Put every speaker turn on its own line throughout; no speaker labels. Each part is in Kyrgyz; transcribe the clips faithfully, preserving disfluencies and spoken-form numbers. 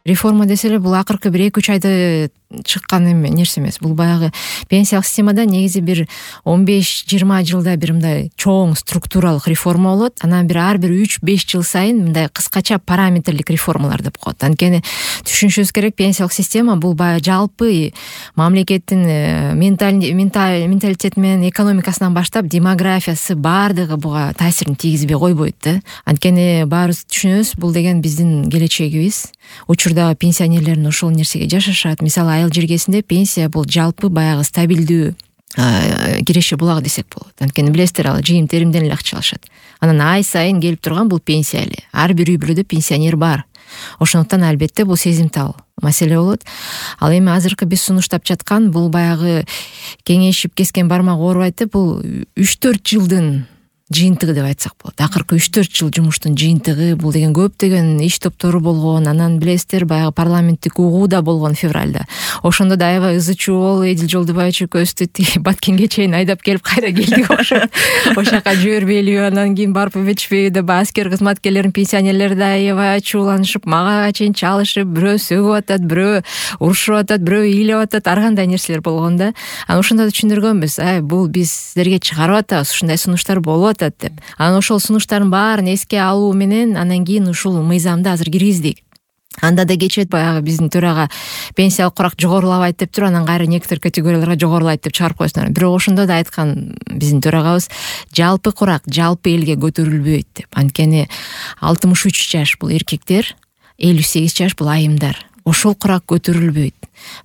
Реформа десе эле бул акыркы бир эки үч айда чыккан эме нерсе эмес. Бул баягы пенсиялык системада негизи бир он беш жыйырма жылда бир мындай чоң структуралык реформа болот. Анан бир ар бир үч беш жыл сайын мындай кыскача параметрлик реформалар деп коет. Анткени түшүнүшүбүз керек, пенсиялык система бул баягы жалпы мамлекеттин менталитети менен экономикасынан баштап демографиясы баардыгы буга таасирин тийгизбей койбойт да. Анткени баарыбыз түшүнөбүз, бул деген биздин келечегибиз. Учурдагы пенсионерлердин ошол нерсеге жашашат. Мисалы айыл жергесинде пенсия бул жалпы баягы стабилдүү киреше булагы десек болот. Анткени билесиздер, ал жыйын теримден эле акча алышат. Анан ай сайын келип турган бул пенсия эле. Ар бир үй бүлөдө пенсионер бар. Ошондуктан албетте бул сезимтал маселе болот. Ал эми азыркы биз сунуштап жаткан бул баягы кеңейишип кескен бармак оорубайт, бул үч төрт жылдын жыйынтыгы деп айтсак болот. Акыркы үч төрт жыл жумуштун жыйынтыгы. Бул деген көптөгөн иш топтору болгон. Анан билесиздер, баягы парламенттик угуу да болгон февралда. Ошондо да аябай ызы чуу болуп, Эдил Жолдубаевич экөөбүздү Баткенге чейин айдап келип кайра келдик окшойт. Ошол жака жибербейлиби, анан кийин барып өбөтүшпөйбү деп аскер кызматкерлердин пенсионерлери да аябай ачууланышып, мага чейин чалышып, бирөө сөгүп атат, бирөө урушуп атат, бирөө ыйлап атат, ар кандай нерселер болгон да. Анан ошондо да түшүндүргөнбүз. Ай, бул биз силерге чыгарып атабыз, ушундай сунуштар болуп деп. Анан ошол сунуштардын баарын эске алуу менен анан кийин ушул мыйзамды азыр киргиздик. Анда да кечет баягы биздин төрага пенсиялык курак жогорулабайт деп туруп, анан кайра некоторые категорияларга жогорулайт деп чыгарып коесуңар. Бирок ошондо да айткан биздин төрагабыз, жалпы курак жалпы элге көтөрүлбөйт деп. Анткени алтымыш үч жаш бул эркектер, элүү сегиз жаш бул айымдар. Ошол курак көтөрүлбөйт.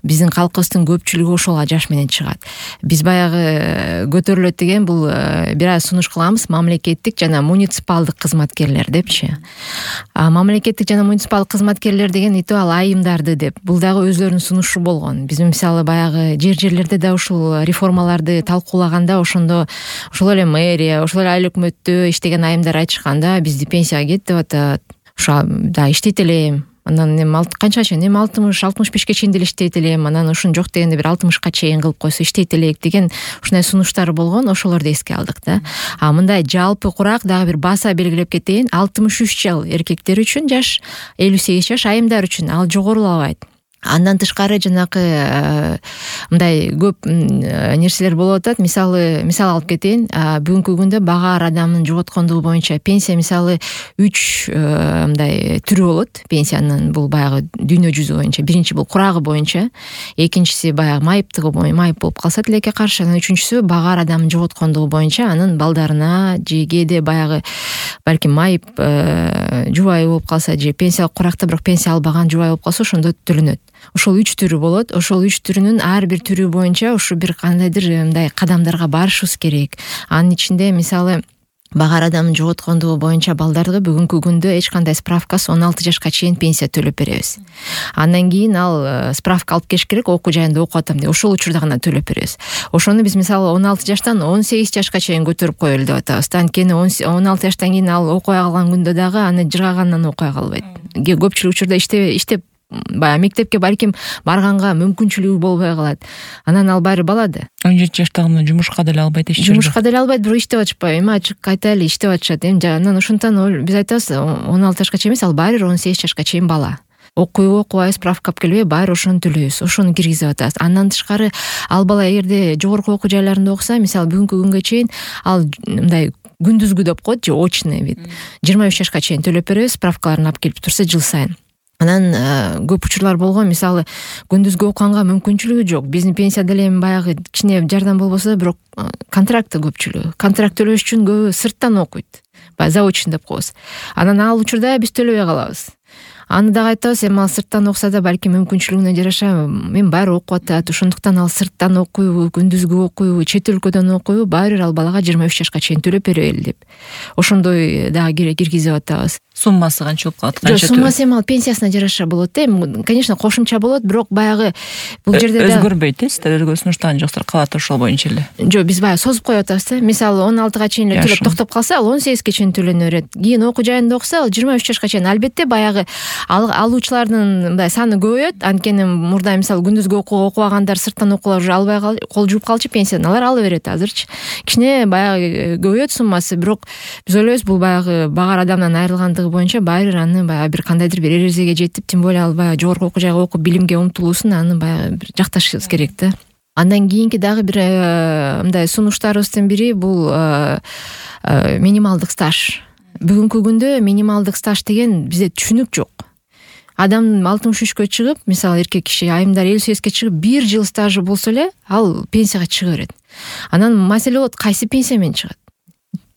Биздин калкыбыздын көпчүлүгү ошол жаш менен чыгат. Биз баягы көтөрүлөт деген бул бир аз сунуш кылабыз, мамлекеттик жана муниципалдык кызматкерлер депчи. А мамлекеттик жана муниципалдык кызматкерлер деген итеп ал айымдарды деп. Бул дагы өзлөрүнүн сунушу болгон. Биз мисалы баягы жер-жерлерде да ушул реформаларды талкуулаганда ошондо ошол эле мэрия, ошол эле айыл өкмөттө иштеген айымдар айтышканда, бизди пенсияга кет деп атат. Ошо да иштейт элем. Анан эми канчага чейин, эми алтымыш алтымыш бешке чейин деле иштейт элем. Анан ушун жок дегенде бир алтымышка чейин кылып койсо иштейт элек деген ушундай сунуштар болгон. Ошолорду эске алдык да. А мындай жалпы курак дагы бир баса белгилеп кетейин. алтымыш үч жыл эркектер үчүн жаш, элүү сегиз жаш айымдар үчүн ал жогорулабайт. Андан тышкары жанакы мындай көп нерселер болуп атат. Мисалы, мисал алып кетейин. Бүгүнкү күндө багаар адамдын жоготкондугу боюнча пенсия мисалы үч мындай түрү болот. Пенсиянын бул баягы дүйнө жүзү боюнча. Биринчи бул курагы боюнча, экинчиси баягы майыптыгы боюнча, майып болуп калса тилекке каршы, анан үчүнчүсү багаар адамдын жоготкондугу боюнча, анын балдарына же кээде баягы балким майып жубай болуп калса, же пенсиялык куракта бирок пенсия албаган жубай болуп калса, ошондо төлөнөт. Ошол үч түрү болот. Ошол үч түрүнүн ар бир түрү боюнча ушу бир кандайдыр мындай кадамдарга барышыбыз керек. Анын ичинде мисалы багаар адамдын жоготкондугу боюнча балдарды бүгүнкү күндө эч кандай справкасыз он алты жашка чейин пенсия төлөп беребиз. Андан кийин ал справка алып келиш керек, окуу жайында окуп атам деп. Ошол учурда гана төлөп беребиз. Ошону биз мисалы он алты жаштан он сегиз жашка чейин көтөрүп коелу деп атабыз. Анткени он алты жаштан кийин ал окуя калган күндө дагы аны жыргагандан окуя калбайт. Көпчүлүк учурда иштеп иштеп баягы мектепке балким барганга мүмкүнчүлүгү болбой калат. Анан ал баары бала да.
он жети жаштагында жумушка деле албайт, эч
жумушка деле албайт, бирок иштеп атышпайбы? Эми ачык айта эле, иштеп атышат. Эми анан ошондон биз айтабыз, он алты жашка чейин эмес, ал баары он сегиз жашка чейин бала. Окуйбу, окубайбы, справка алып келбейби, баары ошону төлөйбүз. Ошону киргизип атабыз. Андан тышкары ал бала эгерде жогорку окуу жайларында окуса, мисалы бүгүнкү күнгө чейин ал мындай күндүзгү деп коет, же очный вид. жыйырма үч жашка чейин төлөп беребиз, справкаларын алып келип турса жыл сайын. Анан көп учурлар болгон, мисалы күндүзгү окуганга мүмкүнчүлүгү жок. Биздин пенсия деле эми баягы кичине жардам болбосо да, бирок контракты көпчүлүгү. Контракт төлөш үчүн көбү сырттан окуйт. Баягы заочный деп коебуз. Анан ал учурда биз төлөбөй калабыз. Аны дагы айтабыз, эми ал сырттан окуса да балким мүмкүнчүлүгүнө жараша мен баары окуп атат. Ошондуктан ал сырттан окуйбу, күндүзгү окуйбу, чет өлкөдөн окуйбу, баары бир ал балага жыйырма үч жашка чейин төлөп берели деп. Ошондой дагы киргизип атабыз.
Суммасы канча болуп калат?
Жок, суммасы эми ал пенсиясына жараша болот да. Эми, конечно, кошумча болот, бирок баягы бул жерде да
өзгөрбөйт, э? Сиздер өзгөрсүңүштан жоксур калат ошол боюнча эле.
Жок, биз баягы созуп коюп атабыз да. Мисалы он алтыга чейин эле төлөп токтоп калса, ал он сегизге чейин төлөнө берет. Кийин окуу жайында окуса, ал жыйырма үч жашка чейин. Албетте баягы алуучулардын мындай саны көбөйөт. Анткени мурда мисалы күндүзгү окууга окубагандар, сырттан окуулар уже албай кол жууп калчу, пенсияны алар ала берет азырчы. Кичине баягы көбөйөт суммасы, бирок биз ойлойбуз бул баягы багар адамдан айрылгандыгы боюнча баары бир аны баягы бир кандайдыр бир эрежеге жетип, тем более ал баягы жогорку окуу жайга окуп билимге умтулуусун аны баягы бир жакташыбыз керек да. Андан кийинки дагы бир мындай сунуштарыбыздын бири бул минималдык стаж. Бүгүнкү күндө минималдык стаж деген бизде түшүнүк жок. Адам алтымыш үчкө чыгып, мисалы эркек киши айымдар элүү сегизге чыгып, бир жыл стажы болсо эле ал пенсияга чыга берет. Анан маселе болот, кайсы пенсия менен чыгат?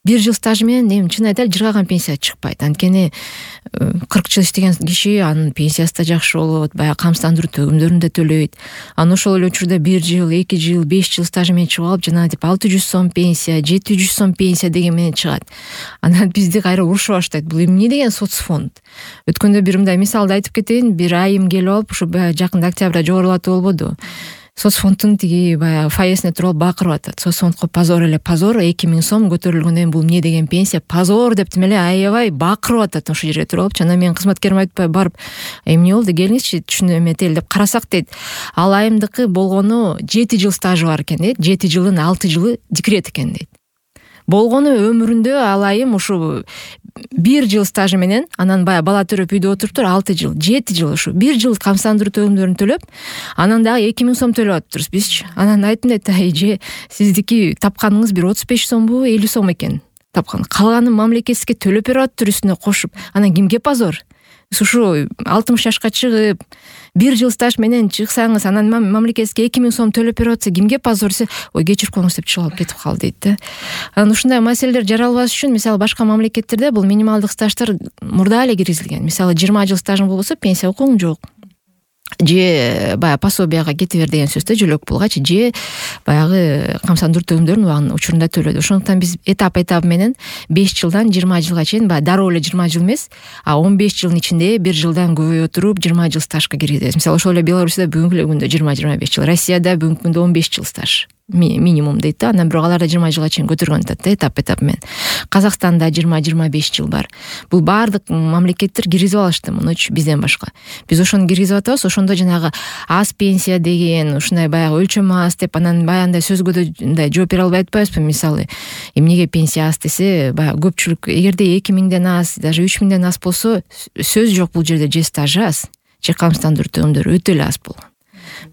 Бир жыл стажы менен эми чын айтайлы жыргаган пенсия чыкпайт. Анткени кырк жыл иштеген киши анын пенсиясы да жакшы болот, баягы камсыздандыруу төгүмдөрүн да төлөйт. Анан ошол эле учурда бир жыл, эки жыл, беш жыл стажы менен чыгып алып, жана деп алты жүз сом пенсия, жети жүз сом пенсия деген менен чыгат. Анан бизди кайра урушуп баштайт. Бул эмне деген соцфонд? Өткөндө бир мындай мисалды айтып кетейин. Бир айым келип алып, ушу жакында октябрда жогорулатуу болбоду. Соцфонддун тиги баягы фойесине туруп алып бакырып атат. Соцфондко позор эле позор, эки миң сом көтөрүлгөндөн бул эмне деген пенсия? Позор деп тим эле аябай бакырып атат ошол жерге туруп алып. Жана мен кызматкериме айтпай барып, эмне болду, келиңизчи түшүнөм этели деп карасак дейт. Ал айымдыкы болгону жети жыл стажы бар экен дейт. жети жылдын алты жылы декрет экен дейт. Болгону өмүрүндө ал айым ушу бир жыл стажы менен, анан баягы бала төрөп үйдө отуруптур, алты жыл, жети жыл ушу бир жыл камсыздандыруу төгүмдөрүн төлөп, анан дагы эки миң сом төлөп атыптырбыз бизчи. Анан айттым дейт, эже, сиздики тапканыңыз бир отуз беш сомбу, элүү сом экен тапкан. Калганын мамлекетсизге төлөп берип атыптыр үстүнө кошуп. Анан кимге позор? Ушу алтымыш жашка чыгып, бир жыл стаж менен чыксаңыз, анан мамлекетке эки миң сом төлөп берип атса, кимге позор? Ой, кечирип коюңуз деп чыгып алып кетип калды дейт да. Анан ушундай маселелер жаралбаш үчүн, мисалы башка мамлекеттерде бул минималдык стаждар мурда эле киргизилген. Мисалы жыйырма жыл стажың болбосо пенсия укугуң жок. Же баягы пособияга кете бер деген сөз да, жөлөк пулгачы, же баягы камсыздандыруу төгүмдөрүн убагында учурунда төлөдү. Ошондуктан биз этап этап менен беш жылдан жыйырма жылга чейин, баягы дароо эле жыйырма жыл эмес, а он беш жылдын ичинде бир жылдан көбөйө туруп жыйырма жыл стажга киргизебиз. Мисалы ошол эле Беларусьда бүгүнкү эле күндө жыйырма жыйырма беш жыл, Россияда бүгүнкү күндө он беш жыл стаж минимум дейт да. Анан бирок аларда жыйырма жылга чейин көтөргөн атат да, этап этап менен. Казакстанда жыйырма жыйырма беш жыл бар. Бул баардык мамлекеттер киргизип алышты мунучу бизден башка. Биз ошону киргизип атабыз. Ошондо жанагы аз пенсия деген, ушундай баягы өлчөм аз деп, анан баягындай сөзгө да мындай жооп бере албай атпайбызбы? Мисалы, эмнеге пенсия аз десе, баягы көпчүлүк эгерде эки миңден аз, даже үч миңден аз болсо, сөз жок бул жерде же стажы аз, же камсыздандыруу төгүмдөрү өтө эле аз болгон.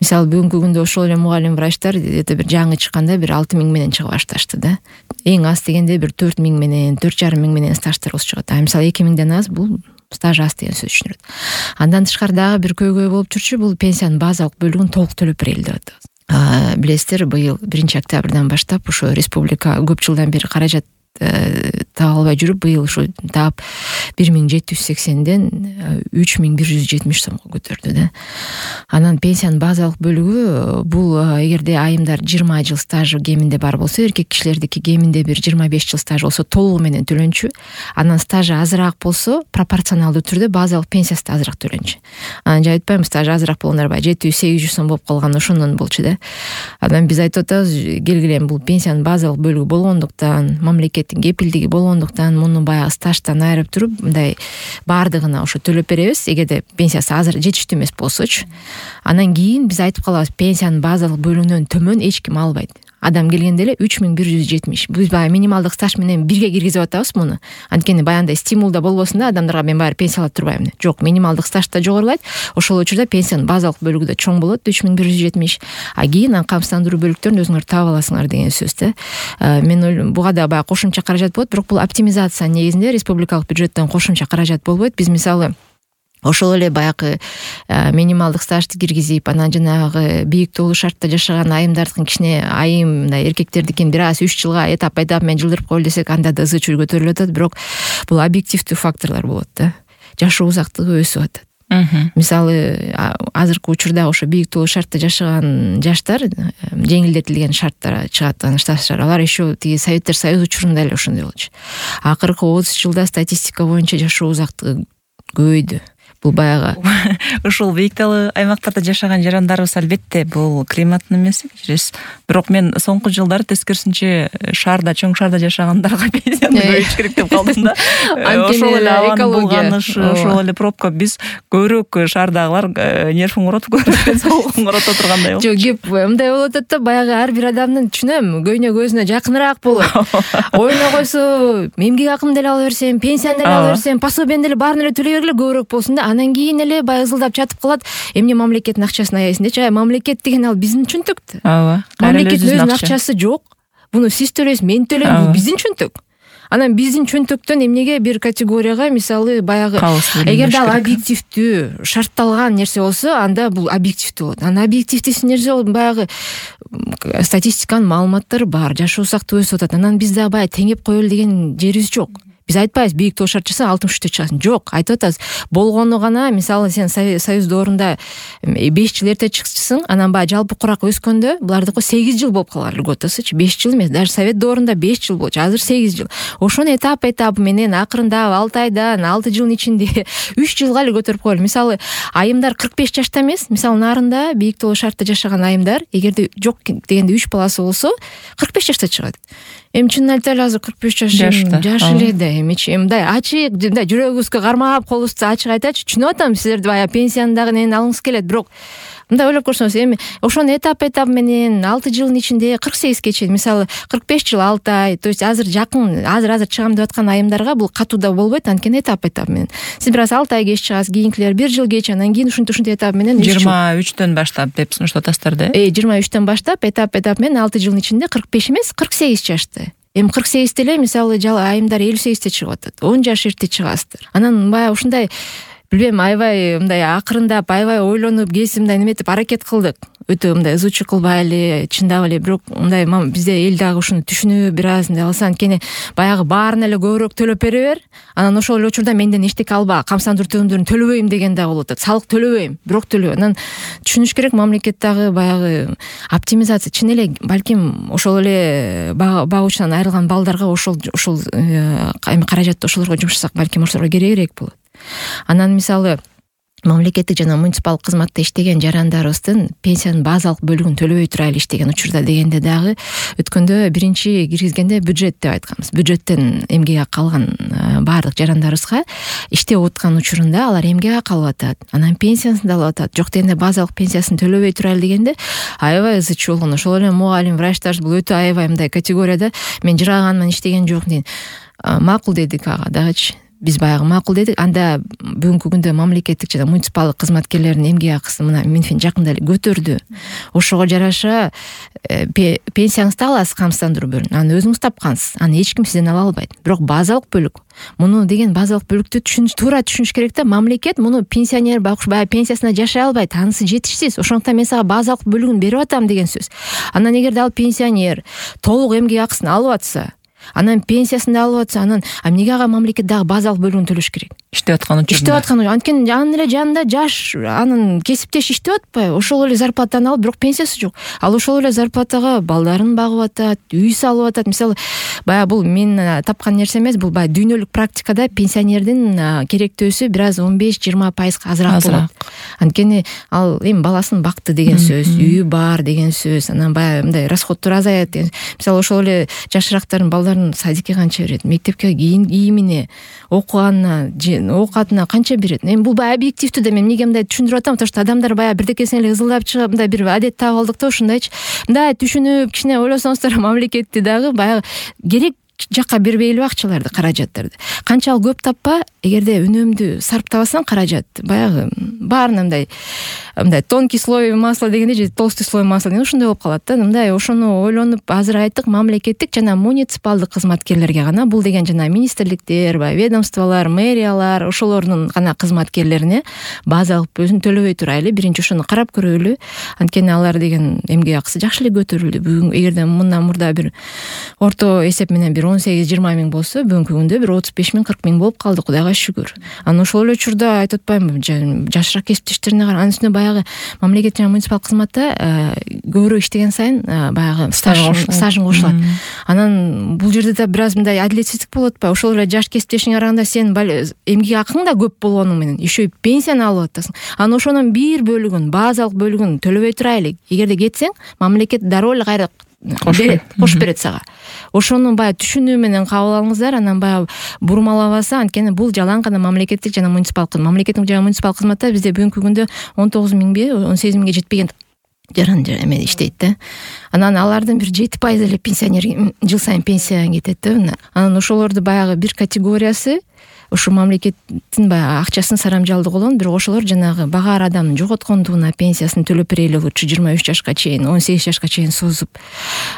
Мисалы бүгүнкү күндө ошол эле мугалим врачтар эте бир жаңы чыкканда бир алты миң менен чыга башташты да. Эң аз дегенде бир төрт миң менен, төрт жарым миң менен стаждар болуп чыгат. А мисалы эки миңден аз бул стаж аз деген сөз түшүнүлөт. Андан тышкары дагы бир көйгөй болуп жүрчү, бул пенсиянын базалык бөлүгүн толук төлөп берели деп атабыз. Билесиздер, быйыл биринчи октябрдан баштап ошо республика көп жылдан бери каражат таба албай жүрүп, быйыл ушу таап бир миң жети жүз сексенден үч миң бир жүз жетимиш сомго көтөрдү да. Анан пенсиянын базалык бөлүгү бул эгерде айымдар жыйырма жыл стажы кеминде бар болсо, эркек кишилердики кеминде бир жыйырма беш жыл стаж болсо толугу менен төлөнчү. Анан стажы азыраак болсо, пропорционалдуу түрдө базалык пенсиясы да азыраак төлөнчү. Анан же айтпайм, стажы азыраак болгондор баягы жети жүз сегиз жүз сом болуп калган, ошондон болчу да. Анан биз айтып атабыз, келгиле бул пенсиянын базалык бөлүгү болгондуктан, мамлекеттин кепилдиги болгондуктан, муну баягы стаждан айырып туруп, мындай баардыгына ошо төлөп беребиз, эгерде пенсиясы азыр жетиштүү эмес болсочу. Анан кийин биз айтып калабыз, пенсиянын базалык бөлүгүнөн төмөн эч ким албайт. Адам келгенде эле үч миң бир жүз жетимиш. Биз баягы минималдык стаж менен бирге киргизип атабыз муну. Анткени баягындай стимул да болбосун да, адамдарга мен баары пенсия алып турбайм. Жок, минималдык стаж да жогорулайт. Ошол учурда пенсиянын базалык бөлүгү да чоң болот, үч миң бир жүз жетимиш. А кийин аны камсыздандыруу бөлүктөрүн өзүңөр таап аласыңар деген сөз да. Мен ойлойм, буга да баягы кошумча каражат болот, бирок бул оптимизация негизинде республикалык бюджеттен кошумча каражат болбойт. Биз мисалы ошол эле баягы минималдык стажды киргизип, анан жанагы бийик тоолуу шартта жашаган айымдардыкын кичине айым, мындай эркектердикин бир аз үч жылга этап этап менен жылдырып коелу десек, анда да ызы чуу көтөрүлүп атат, бирок бул объективдүү факторлор болот да. Жашоо узактыгы өсүп атат. Мисалы, азыркы учурда ошо бийик тоолуу шартта жашаган жаштар, жеңилдетилген шарттар чыгат, стаждар, алар еще тиги Советтер Союзу учурунда эле ошондой болчу. Акыркы отуз жылда статистика боюнча жашоо узактыгы көбөйдү. бул баягы
ушул бийик таалуу аймактарда жашаган жарандарыбыз албетте бул климаттын эмеси кечиресиз. Бирок мен соңку жылдары тескерисинче шаарда, чоң шаарда жашагандарга пенсияны көбөйтүш керек деп калдым да. Ошол эле абанын булганышы, ошол эле пробка, биз көбүрөөк шаардагылар нервин коротуп көрүп, соогун корото тургандай болчу.
Жок, кеп мындай болуп атат да, баягы ар бир адамдын түшүнөм, көйнө көзүнө жакыныраак болот. Оюна койсо, эмгек акымды деле ала берсем, пенсияны деле ала берсем, пособияны деле баарын эле төлөй бергиле көбүрөөк болсун да. Анан кийин эле баягы ызылдап жатып калат. Эмне мамлекеттин акчасын аяйсың дечи. Мамлекет деген ал биздин чөнтөк.
Ооба.
Мамлекеттин өзүнүн акчасы жок. Буну сиз төлөйсүз, мен төлөйм, бул биздин чөнтөк. Анан биздин чөнтөктөн эмнеге бир категорияга, мисалы баягы эгерде ал объективдүү шартталган нерсе болсо, анда бул объективдүү болот. Анан объективдүү нерсе болот, баягы статистиканын маалыматтары бар, жашоо узактуу өсүп атат. Анан биз дагы баягы теңеп коелу деген жерибиз жок. Биз айтпайбыз бийик тоо шарт жасасаң алтымыш үчтө чыгасың. Жок, айтып атабыз. Болгону гана, мисалы сен Союз доорунда беш жыл эрте чыкчысың, анан баягы жалпы курак өскөндө булардыкы сегиз жыл болуп калган льготасычы. беш жыл эмес, даже Совет доорунда беш жыл болчу, азыр сегиз жыл. Ошону этап этап менен акырындап алты айдан, алты жылдын ичинде үч жылга эле көтөрүп коелу. Мисалы, айымдар кырк беш жашта эмес, мисалы нарында бийик тоо шартта жашаган айымдар, эгерде жок дегенде үч баласы болсо, кырк беш жашта чыгат. Эми чынын айтайлы, азыр кырк беш жаш жаш эле да, эмичи мындай ачык, мындай жүрөгүбүзгө кармап, колубузду ачык айтачы, түшүнүп атам, силерди баягы пенсияны дагы нени алгыңыз келет, бирок мындай ойлоп көрсөңүз, эми ошону этап этап менен алты жылдын ичинде кырк сегизге чейин, мисалы кырк беш жыл алты ай, то есть азыр жакын, азыр азыр чыгам деп аткан айымдарга бул катуу да болбойт, анткени этап этап менен. Сиз бир аз алты ай кеч чыгасыз, кийинкилер бир жыл кеч, анан кийин ушинтип ушинтип этап менен
жыйырма үчтөн баштап деп сунуштап атасыздар да.
Э, жыйырма үчтөн баштап этап этап менен алты жылдын ичинде кырк беш эмес, кырк сегиз жашты. Эми кырк сегизде эле, мисалы, жала айымдар элүү сегизде чыгып атат. он жаш эрте чыгасыздар. Анан баягы ушундай, билбейм, аябай мындай акырындап, аябай ойлонуп, кесип мындай неметип аракет кылдык. Өтө мындай ызучу кылбай эле, чындап эле, бирок мындай бизде эл дагы ушуну түшүнүп, бир аз мындай кылса, анткени баягы баарына эле көбүрөөк төлөп бере бер. Анан ошол эле учурда менден эчтеке алба, камсандыруу төлөмдөрүн төлөбөйм деген дагы болуп атат. Салык төлөбөйм, бирок төлөө. Анан түшүнүш керек, мамлекет дагы баягы оптимизация, чын эле балким ошол эле багуучунан айрылган балдарга ошол ошол эми каражатты ошолорго жумшасак, балким ошолорго керегирээк болот. Анан мисалы мамлекеттик жана муниципалдык кызматта иштеген жарандарыбыздын пенсиянын базалык бөлүгүн төлөбөй турайлы иштеген учурда дегенде дагы өткөндө биринчи киргизгенде бюджет деп айтканбыз. Бюджеттен эмгек акы алган баардык жарандарыбызга иштеп аткан учурунда алар эмгек акы алып атат, анан пенсиясын да алып атат. Жок дегенде базалык пенсиясын төлөбөй турайлы дегенде аябай ызы чуу болгон. Ошол эле мугалим, врачтар бул өтө аябай мындай категорияда мен жыргаганман иштеген жок дейт. Макул дедик ага дагычы. Биз баягы макул дедик. Анда бүгүнкү күндө мамлекеттик жана муниципалдык кызматкерлердин эмгек акысын мына Минфин жакында эле көтөрдү. Ошого жараша пенсияңызды аласыз, камсыздандыруу бөлүн. Аны өзүңүз тапкансыз. Аны эч ким сизден ала албайт. Бирок базалык бөлүк. Муну деген базалык бөлүктү түшүнүш, туура түшүнүш керек да. Мамлекет муну пенсионер баягы пенсиясына жашай албайт. Анысы жетишсиз. Ошондуктан мен сага базалык бөлүгүн берип атам деген сөз. Анан эгерде ал пенсионер толук эмгек акысын алып атса, анан пенсиясын да алып атса, анан эмнеге ага мамлекет дагы базалык бөлүгүн төлөш керек?
Иштеп аткан учурда.
Иштеп аткан учурда. Анткени анын эле жанында жаш, анын кесиптеш иштеп атпайбы? Ошол эле зарплатаны алып, бирок пенсиясы жок. Ал ошол эле зарплатага балдарын багып атат, үй салып атат. Мисалы, баягы бул мен тапкан нерсе эмес, бул баягы дүйнөлүк практикада пенсионердин керектөөсү бир аз он беш жыйырма пайызга азыраак болот. Анткени ал эми баласын бакты деген сөз, үйү бар деген сөз, анан баягы мындай расходтор азаят деген. Мисалы, ошол эле жашыраактардын балдарын садикке канча берет, мектепке кийимине, окуганына, оокатына канча берет? Эми бул баягы объективдүү да, мен эмнеге мындай түшүндүрүп атам, потому что адамдар баягы бирдекесине эле ызылдап чыгып, мындай бир адет таап алдык да, ушундайчы. Мындай түшүнүп, кичине ойлосоңуздар, мамлекетти дагы баягы керек жакка бербейлиби акчаларды, каражаттарды. Канчалык көп таппа, эгерде үнөмдүү сарптабасаң каражат, баягы баарына мындай мындай тонкий слой масла дегенде же толстый слой масла деген ушундай болуп калат да. Мындай ошону ойлонуп, азыр айттык, мамлекеттик жана муниципалдык кызматкерлерге гана, бул деген жана министрликтер, баягы ведомстволор, мэриялар, ошолордун гана кызматкерлерине базалык өзүн төлөбөй турайлы, биринчи ошону карап көрөлү. Анткени алар деген эмгек акысы жакшы эле көтөрүлдү. Бүгүн эгерде мындан мурда бир орто эсеп менен бир он сегиз жыйырма миң болсо бүгүнкү күндө бир отуз беш миң кырк миң болуп калды, кудайга шүгүр. Анан ошол эле учурда айтып атпаймынбы, жашыраак кесиптештерине кара. Анын үстүнө баягы мамлекет жана муниципалдык кызматта көбүрөөк иштеген сайын баягы стажын кошулат. Анан бул жерде да бир аз мындай адилетсиздик болуп атпайбы? Ошол эле жаш кесиптешиңе караганда сен эмгек акың да көп болгону менен еще и пенсияны алып атасың. Анан ошонун бир бөлүгүн, базалык бөлүгүн төлөбөй турайлы. Эгерде кетсең, мамлекет дароо эле кайра кошуп берет сага. Ошону баягы түшүнүү менен кабыл алыңыздар, анан баягы бурмалабаса, анткени бул жалаң гана мамлекеттик жана муниципалдык. Мамлекеттик жана муниципалдык кызматта бизде бүгүнкү күндө он тогуз миңби, он сегиз миңге жетпеген жаран эме иштейт да. Анан алардын бир жети пайызы эле пенсионер жыл сайын пенсияга кетет да. Анан ошолорду баягы бир категориясы ушу мамлекеттин баягы акчасын сарамжалдуу болгон, бирок ошолор жанагы багаар адамдын жоготкондугуна пенсиясын төлөп берели лучше жыйырма үч жашка чейин, он сегиз жашка чейин созуп.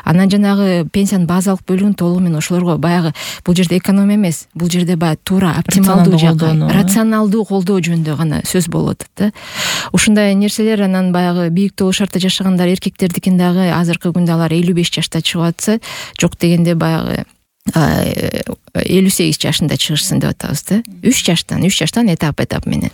Анан жанагы пенсиянын базалык бөлүгүн толугу менен ошолорго баягы бул жерде экономия эмес, бул жерде баягы туура оптималдуу жакка, рационалдуу колдоо жөнүндө гана сөз болуп атат да. Ушундай нерселер анан баягы бийик тоолуу шартта жашагандар эркектердикин дагы азыркы күндө алар элүү беш жашта чыгып атса, жок дегенде баягы элүү сегиз жашында чыгышсын деп атабыз да. үч жаштан, үч жаштан этап этап менен.